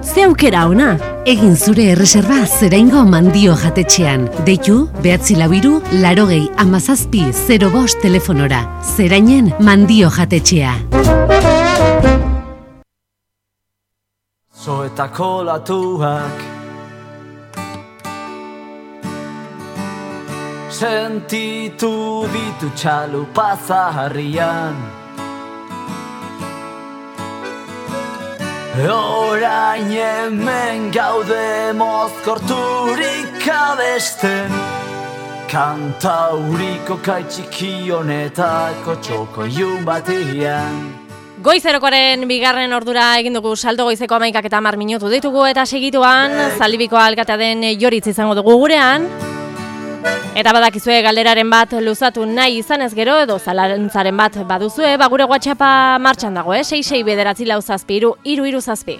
Ze aukera ona, egin zure erreserba Zeraingo Mandio jatetxean. Deitu, 942-801705 telefonora. Zerainen Mandio jatetxea. Zoetako latuak sentitu ditu txalupa zaharrian. Orain hemen gaude mozkorturik abesten, kantauriko kaitxiki honetako txokoiun batian. Goizerokoaren bigarren ordura egin dugu saldo goizeko 11:10 minutu ditugu eta segituan Zaldibiko alkatea den Joritz izango dugu gurean. Eta badakizue galderaren bat luzatu nahi izanez gero edo zalantzaren bat baduzue, gure WhatsAppa martxan dago, 669433337.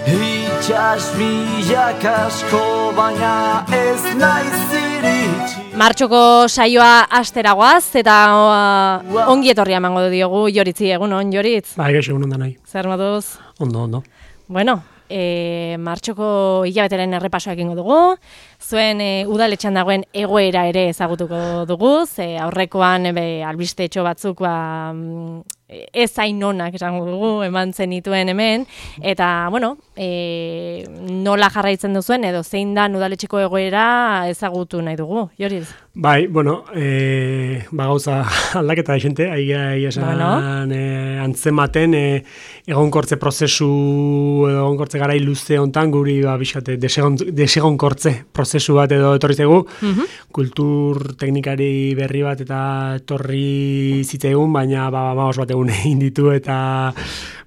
Itxas milak asko baina ez naiz iritsi. Martxoko saioa asteragoaz eta ongi etorria emango diogu Joritzi, egun on Joritz. Bai, gaixo egun ondan nahi. Zer moduz? Ondo. Bueno, martxoko hilabeteren errepasoa egingo dugu, zuen udaletxean dagoen egoera ere ezagutuko dugu, ze aurrekoan albistetxo batzuk ez hain onak esango dugu, eman zenituen hemen, eta, bueno, nola jarraitzen duzuen edo zein da udaletxeko egoera ezagutu nahi dugu, Joritz? Bai, bueno, gauza aldaketa da xente, esan antzematen egonkortze prozesu edo egonkortze garai luze hontan guri bizkate desegonkortze prozesu bat edo etorri zaigu, kultur teknikari berri bat eta etorri zitzaigun, baina maos bat egun egin ditu eta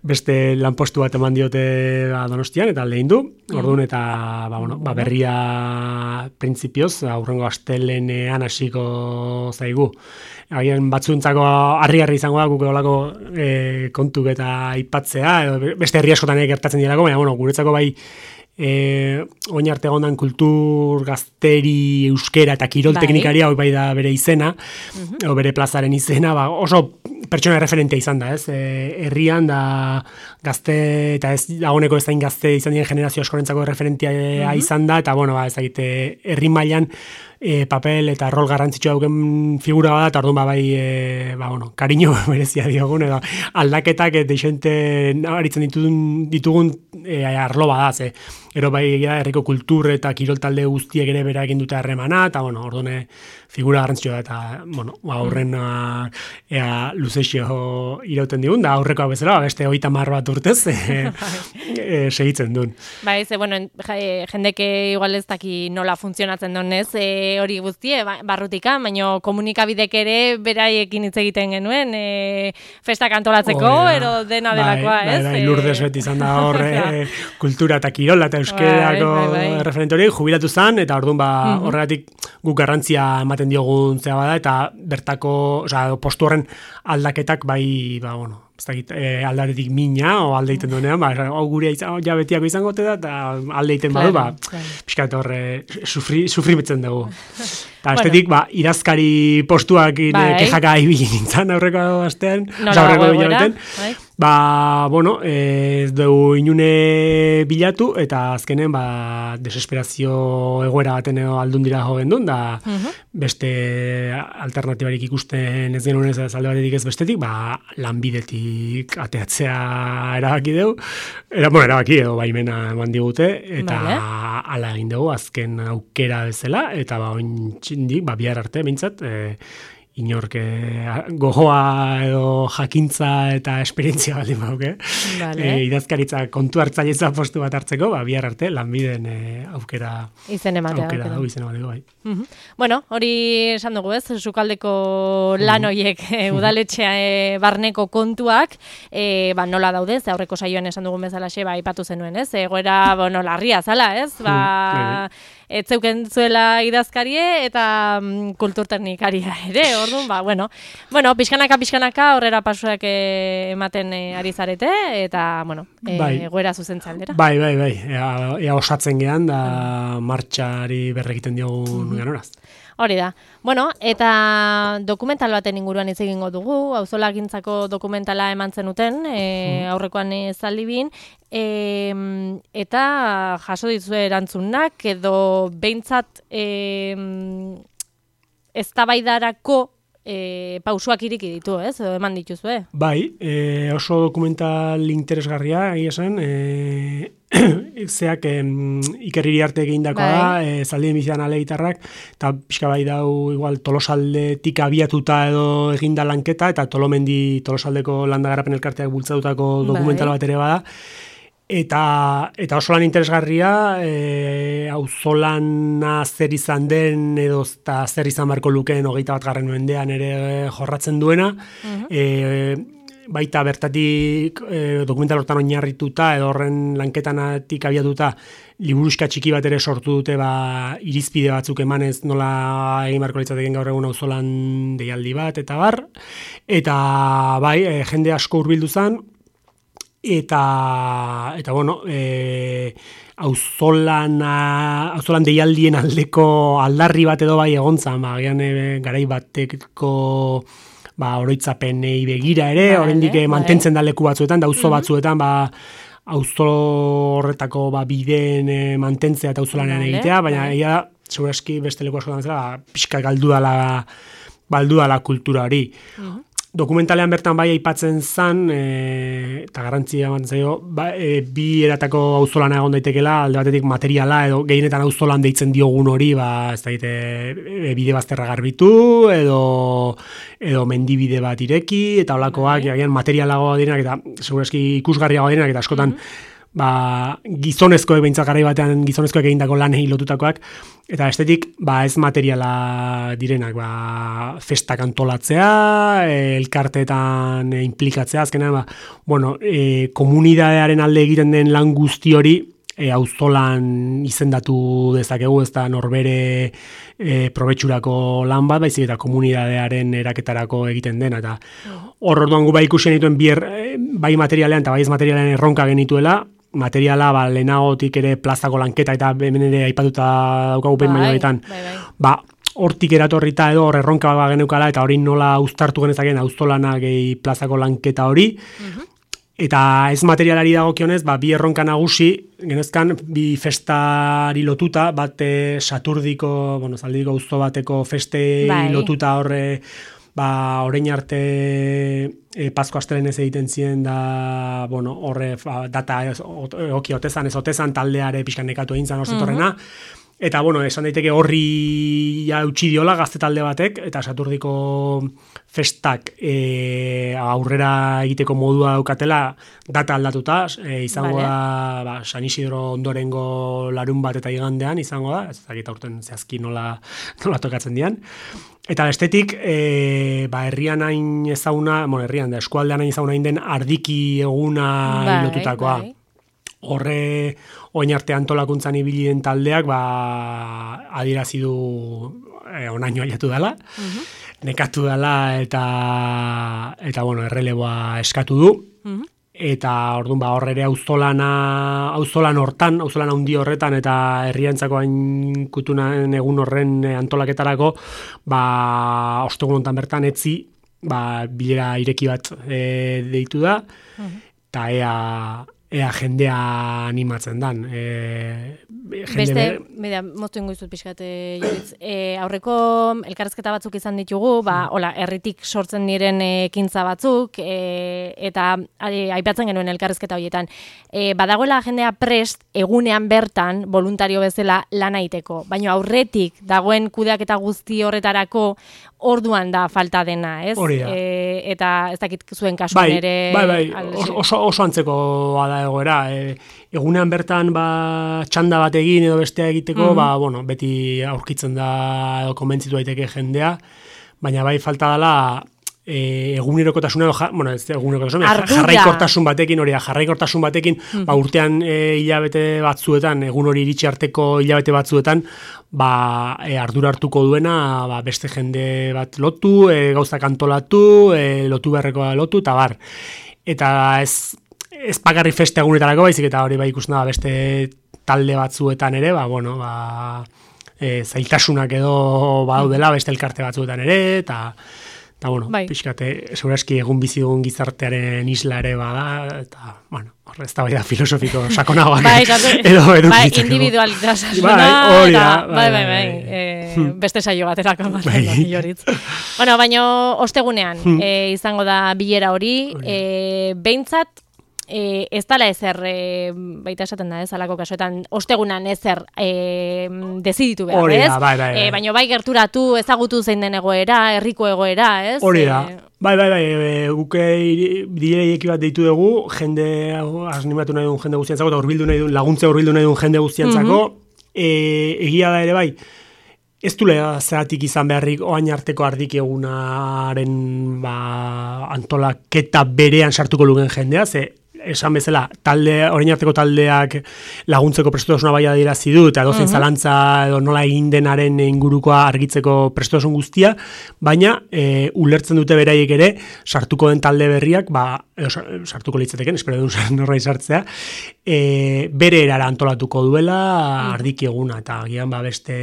beste lanpostu bat eman diote Donostian eta lehin du, orduan eta berria printzipioz, aurrengo astelenean hasiko zaigu. Haien batzuentzako harri izango da guk olako kontuk eta aipatzea, edo beste herri askotan gertatzen direlako, baina guretzako bai oin arte egondan kultur, gazteri, euskera eta kirol teknikaria hori bai da bere izena, edo bere plazaren izena, oso pertsona referentea izan da, ez? Herrian da gazte, eta ez dagoneko ez dain gazte izan diren generazio askorentzako referentea izan da, eta ezagite herri mailan papel eta rol garrantzitsua duken figura bada, eta orduan kariño berezia diogun, edo aldaketak deixente nabaritzen ditugun arlo bada, ze. Ero herriko kultur eta kirol talde guztiek ere bera egin dute harremana, eta orduan figura garrantzitsua da, eta aurren luzexio irauten digun, da aurrekoa bezala, beste 30 bat urtez segitzen duen. Bai, ze, jendeke igual ez daki nola funtzionatzen donez, hori guztie, barrutika, baina komunikabidek ere beraiekin hitz egiten genuen, festak antolatzeko, ero dena delakoa, ez? Bai, Lourdes beti izan da hor, kultura eta kirola eta euskerako referente hori, jubilatu zen, eta orduan horregatik guk garrantzia ematen diogun zea bada, eta bertako, postu horren aldaketak aldaretik mina, o aldeiten duenean, gure jabetiako izango da, eta aldeiten badu, pixkat horre sufrimetzen dugu. Eta bestetik, irazkari postuak kexaka ibili nintzen aurreko astean, aurreko jabeten. Ez dugu inune bilatu, eta azkenen desesperazio egoera baten aldun dira jogen duen, da beste alternatibarik ikusten ez genuen ez alde batetik ez bestetik, lanbidetik ateatzea erabaki dugu, erabaki edo baimena eman digute, eta ala egin dugu azken aukera bezala, eta ointxindik, bihar arte, mintzat, inork gogoa edo jakintza eta esperientzia baldin bauke. Idazkaritza kontu hartzailetza postu bat hartzeko, bihar arte lanbiden aukera izen ematea. Bai. Bueno, hori esan dugu ez, sukaldeko lan horiek udaletxea barneko kontuak, nola daudez, aurreko saioan esan dugun bezalaxe, aipatu zenuen ez, egoera larria zala ez, ez zeuken zuela idazkarie eta kulturteknikaria ere, orduan, bueno, pixkanaka aurrera pasuak ematen ari zarete, eta, egoera zuzentza aldera. Bai, ea osatzen gehan, da martxari berrekiten diogun ganoraz. Hori da. Bueno, eta dokumental baten inguruan hitz egingo dugu, auzolagintzako dokumentala eman zenuten, aurrekoan zaldibin, eta jaso dituzue erantzunak, edo behintzat eztabaidarako pausuak iriki ditu, ez? Edo eman dituzue? Bai, oso dokumental interesgarria, egia esan, zeak Iker Iriarte egindakoa da, zaldien bizian aleitarrak, eta pixka bai dau igual Tolosaldetik abiatuta edo eginda lanketa, eta Tolosaldeko landagarapen elkarteak bultzatutako dokumental bat ere bada, eta oso lan interesgarria, auzolana zer izan den edo zer izan barko lukeen 21. mendean ere jorratzen duena, baita bertatik dokumental hortan oinarrituta edo horren lanketanatik abiatuta liburuxka txiki bat ere sortu dute irizpide batzuk emanez nola egin barko litzateken gaur egun auzolan deialdi bat eta bar, eta bai, jende asko hurbildu zen, eta bueno, auzolan deialdien aldeko aldarri bat edo bai egontzan, garai bateko oroitzapenei begira ere, oraindik mantentzen da leku batzuetan, da auzo batzuetan, auzo horretako bideen mantentzea eta auzolanean egitea, baina egia da, segurazki beste leku askotan bezala, pixka galdu dala kultura hori. Dokumentalean bertan bai aipatzen zan, eta garrantzia ematen zaio, bi eratako auzolana egon daitekela, alde batetik materiala, edo gehienetan auzolan deitzen diogun hori, ez daite, bide bazterra garbitu, edo mendibide bat ireki, eta holakoak, materialagoa direnak, eta segurazki ikusgarriagoa direnak, eta askotan, gizonezkoek behintzat garai batean gizonezkoek egindako lanei lotutakoak, eta estetik ez materiala direnak, festak antolatzea, elkarteetan implikatzea, azkenean, komunidadearen alde egiten den lan guzti hori, auzolan izendatu dezakegu, ez da norbere probetxurako lan bat, baizik eta komunidadearen eraketarako egiten dena, eta orduan gu ikusien dituen bai materialean eta bai ez materialean erronka genituela, materiala lehenagotik ere plazako lanketa eta hemen ere aipatuta daukagu behin bainoetan, hortik eratorrita edo hor erronka geneukala eta hori nola uztartu genezaken auzolana gehi plazako lanketa hori, eta ez materialari dagokionez, bi erronka nagusi genezkan bi festari lotuta, bat Saturdiko, zaldiko auzo bateko festei lotuta horre, orain arte Pasko astelenez egiten ziren da, horre data egoki otezan, ez otezan taldeare pixkan nekatu egin zan orzetorrena, eta esan daiteke horri utzi diola gazte talde batek, eta Saturdiko festak aurrera egiteko modua daukatela data aldatuta, izango da San Isidro ondorengo larun bat eta igandean izango da, ez dakit aurten zehazki nola tokatzen dian. Eta bestetik, herrian hain ezaguna, herrian da, eskualdean hain ezaguna den ardiki eguna lotutakoa. Horre, oin arte antolakuntzan ibili den taldeak, adierazi du onaino ailatu dela, nekatu dela eta erreleboa eskatu du. Eta orduan horre ere auzolan handi horretan eta herriantzako hain kutunan egun horren antolaketarako ostegun hontan bertan etzi bilera ireki bat deitu da, eta ea jendea animatzen dan. Moztu ingo izut pixkat, Joritz. Aurreko elkarrezketa batzuk izan ditugu, herritik sortzen diren ekintza batzuk, eta aipatzen genuen elkarrezketa horietan. Badagoela jendea prest, egunean bertan, voluntario bezala lan egiteko, baina aurretik dagoen kudeaketa guzti horretarako orduan da falta dena, ez? Hori da. Eta ez dakit zuen kasuan ere... Bai, oso antzeko da egoera. Egunean bertan txanda bat egin edo bestea egiteko, beti aurkitzen da edo konbentzitu daiteke jendea, baina bai falta dela egunerokotasuna, ez egunerokotasuna, jarraikortasun batekin, urtean hilabete batzuetan, egun hori iritsi arteko hilabete batzuetan, ardura hartuko duena, beste jende bat lotu, gauzak antolatu, lotu beharrekoa lotu, eta bar. Eta ez bakarrik feste egunetarako, baizik eta hori ikusten da beste talde batzuetan ere, zailtasunak edo dela beste elkarte batzuetan ere, eta pixkate, segurazki egun bizi dugun gizartearen isla ere bada, eta, horre ez da bai da filosofiko sakonagoak edo edukitzeko. Individualitasuna, beste saio baterako joritz. Baina ostegunean izango da bilera hori, behintzat, ez dala ezer, baita esaten da, alako kasuetan, ostegunan ezer deziditu behar, ez? Baina bai gerturatu, ezagutu zein den egoera, herriko egoera, ez? Hori da. Guke dileiki bat deitu dugu, jende, animatu nahi duen jende guztiantzako, eta laguntze hurbildu nahi duen jende guztiantzako, egia da ere bai, ez dule zeratik izan beharrik oain arteko ardik egunaren antolaketa berean sartuko lugen jendea, esan bezala, orain arteko taldeak laguntzeko prestutasuna bai adierazi du, eta edozein zalantza edo nola egin denaren ingurukoa argitzeko prestutasun guztia, baina ulertzen dute beraiek ere, sartuko den talde berriak, sartuko litzateken, espero duen norrai sartzea, bere erara antolatuko duela ardiki eguna, eta agian beste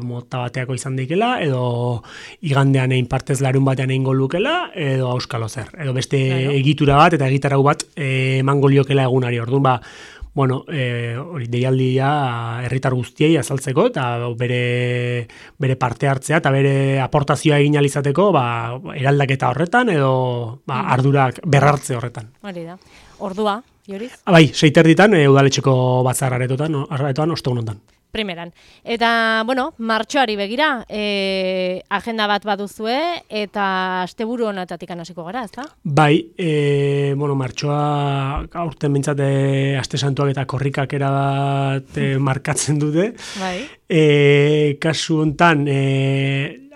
mota bateako izan daikela, edo igandean egin partez larun batean egin golukela, edo auskalo zer, edo beste egitura bat, eta egitarau bat emango liokela egunari. Orduan, hori deialdia herritar guztiei azaltzeko, eta bere parte hartzea, eta bere aportazioa egin alizateko, eraldaketa horretan, edo ardurak berrartze horretan. Hori da. Ordua, Joriz? 6:30 udaletxeko batzar aretoan, ostegun hontan. Primeran. Eta, martxoari begira, agenda bat baduzue, eta asteburu honetatik hasiko gara, ezta? Martxoa aurten bintzat aste santuak eta korrikak erabat markatzen dute. Kasu hontan,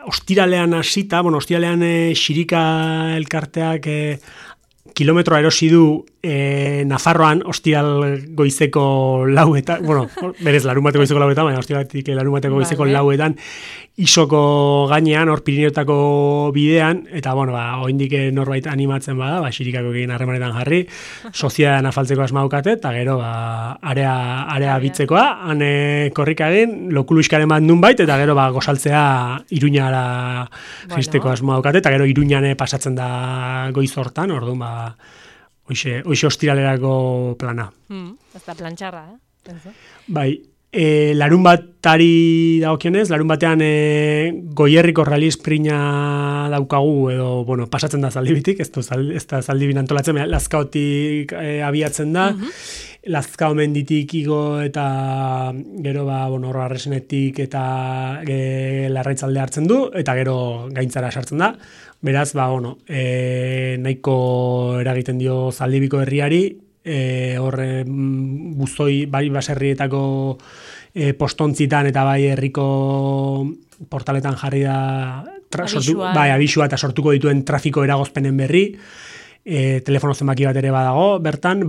ostiralean hasita, ostiralean xirika elkarteak kilometroa erosi du Nafarroan ostiral goizeko lauetan, berez larunbateko goizeko lauetan, baina ostiraletik larunbateko goizeko lauetan, isoko gainean, hor Pirineotako bidean, eta oraindik norbait animatzen bada, xirikako egin harremanetan jarri, soziadan afaltzeko asmaukate, eta gero area bitzekoa, han korrika egin, lokuluiskaren bat nun bait, eta gero gozaltzea Iruñara jisteko asmaukate, eta gero Iruñan pasatzen da goiz hortan, orduan hoxe ostiralerako plana. Ez da plantxarra, larun batari dagokionez, larun batean Goierriko Rally Sprinta daukagu, edo, pasatzen da zaldibitik, ez da zaldibin antolatzen, Lazkaotik abiatzen da, Lazkao menditik igo eta gero, Arresenetik eta Larraitzalde hartzen du, eta gero gaintzara sartzen da. Beraz, nahiko eragiten dio zaldibiko herriari, horre buzoi, baserrietako postontzitan eta herriko portaletan jarri da abisua eta sortuko dituen trafiko eragozpenen berri, telefono zenbaki bat ere badago, bertan,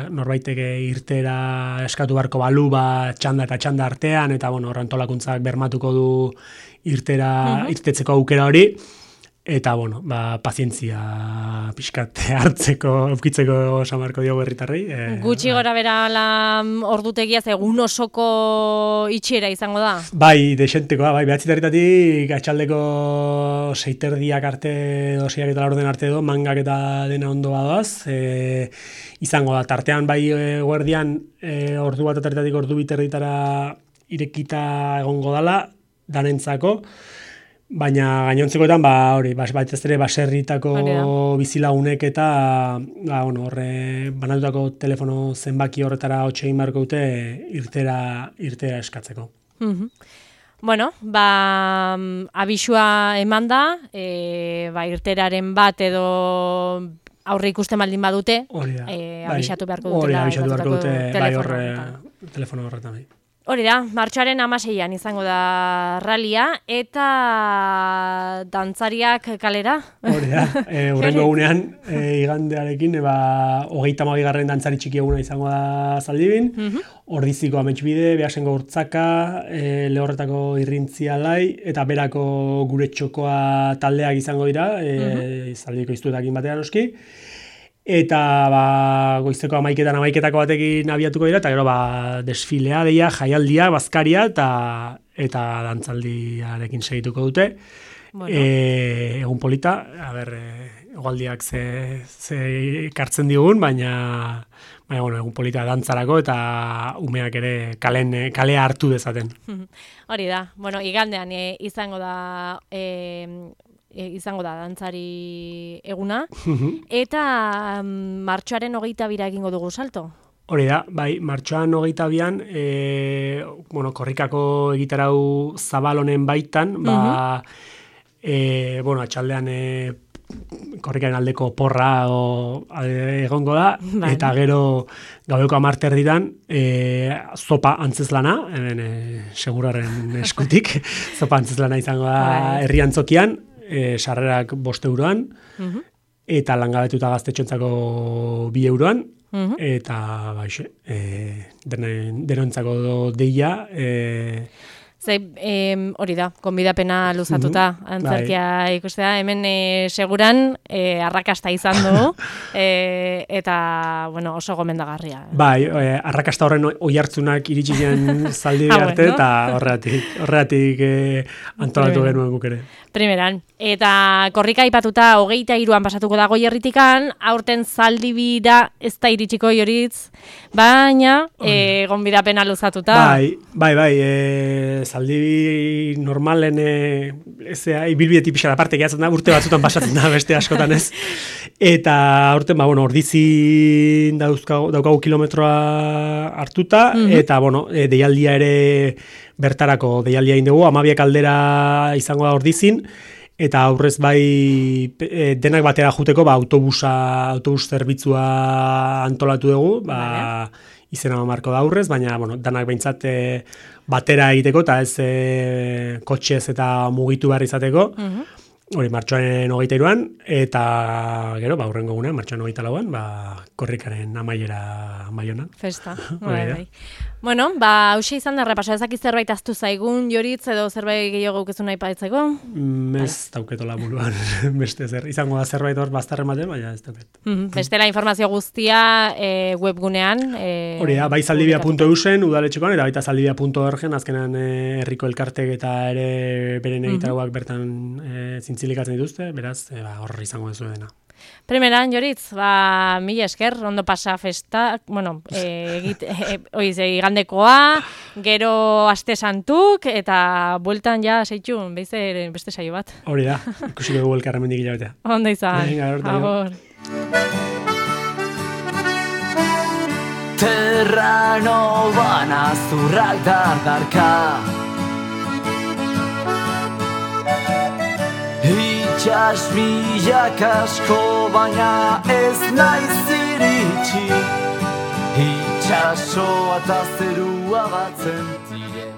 norbaitek irtera eskatu beharko balu, txanda eta txanda artean, eta antolakuntzak bermatuko du irtetzeko aukera hori, eta, pazientzia pixkat hartzeko, eukitzeko samarko diogu herritarrei. Gutxi gora bera ordutegia, egun osoko itxiera izango da? Dexentekoa, behatzitarritatik atxaldeko 6:30 arte, 6 eta laurden arte edo, mangak eta dena ondo badoaz, izango da, tartean guardian ordu bat atarritatik ordu biterritara irekita egongo dala, danentzako, baina gainontzekoetan, batez ere baserritako bizilagunek eta horre banatutako telefono zenbaki horretara hotxe egin beharko dute irtera eskatzeko. Abisua eman da, irteraren bat edo aurre ikusten baldin badute, abisatu beharko dutela. Abisatu beharko dute, telefono horretan. Hori da, martxoaren 16an izango da ralia, eta dantzariak kalera? Hori da, hurrengo egunean, igandearekin, 32. dantzari txiki eguna izango da Zaldibin, Ordiziko Ametsbide, Beasengo Urtzaka, Lehorretako Irrintzia Lai, eta berako gure txokoa taldeak izango dira, Zaldibiko iztuetakin batean oski. Eta goizeko 11-amaiketako batekin abiatuko dira, eta gero desfilea, jaialdia, bazkaria, eta dantzaldiarekin segituko dute. Bueno. Egun polita, egualdiak ze kartzen digun, baina egun polita dantzarako, eta umeak ere kalea hartu dezaten. Hori da, igandean izango da dantzari eguna, eta martxoaren 22 egingo dugu salto. Hori da, martxoan 22an, korrikako egitarau zabal honen baitan, atxaldean korrikaren aldeko porra egongo da, eta gero gaueko 10:00 zopa antzezlana, seguraren eskutik, zopa antzezlana izango da herri antzokian, sarrerak 5 euroan, eta langabetuta gaztetxontzako 2 euroan, eta denontzako deia. Hori da, konbidapena luzatuta antzerkia ikustea, hemen seguran arrakasta izan du, eta oso gomendagarria. Arrakasta horren oihartzunak iritsi diren Zaldibi arte, eta horregatik antolatu genuen guk ere. Primeran, eta korrika aipatuta 23an pasatuko da Goierritikan, aurten Zaldibira ez da iritsiko Joritz, baina gonbidapena luzatuta. Zaldibi normalen ibilbidetik pixka aparte gehatzen da, urte batzutan pasatzen da beste askotan ez. Eta aurten, Ordizin daukagu kilometroa hartuta, eta deialdia ere bertarako deialdia indugu, 12 aldera izango da Ordizin, eta aurrez denak batera juteko autobus zerbitzua antolatu dugu, izena marko da aurrez, baina danak behintzat batera egiteko, eta ez kotxez eta mugitu behar izateko, hori martxoaren 23an, eta gero, hurrengo gunean, martxoaren 24an, korrikaren amaiera Baionan. Festa, hauxe izan da repaso, ezakit zerbait aztu zaigun, Joritz, edo zerbait gehiago gaukezu nahi paetzeko? Ez dauketola buruan, beste izango da zerbait hor bazterren batean, baina ez dauket. Bestela informazio guztia webgunean. Hori da, bai zaldibia.eusen, udaletxekoan, eta baita zaldibia.orgen, azkenan herriko elkartek eta ere beren egitaragoak bertan zintzilikatzen dituzte, beraz, hor izango duzu dena. Primeran, Joritz, mila esker, ondo pasa festak, igandekoa, gero aste santuk, eta bueltan seitxun, beste saio bat. Hori da, ikusiko dugu elkarremendik hilabetea. Ondo izan, agor. Terrano bana zurrak dardarka, itxas milak asko baina ez naiz iritsi, itxasoa eta zerua batzen diren.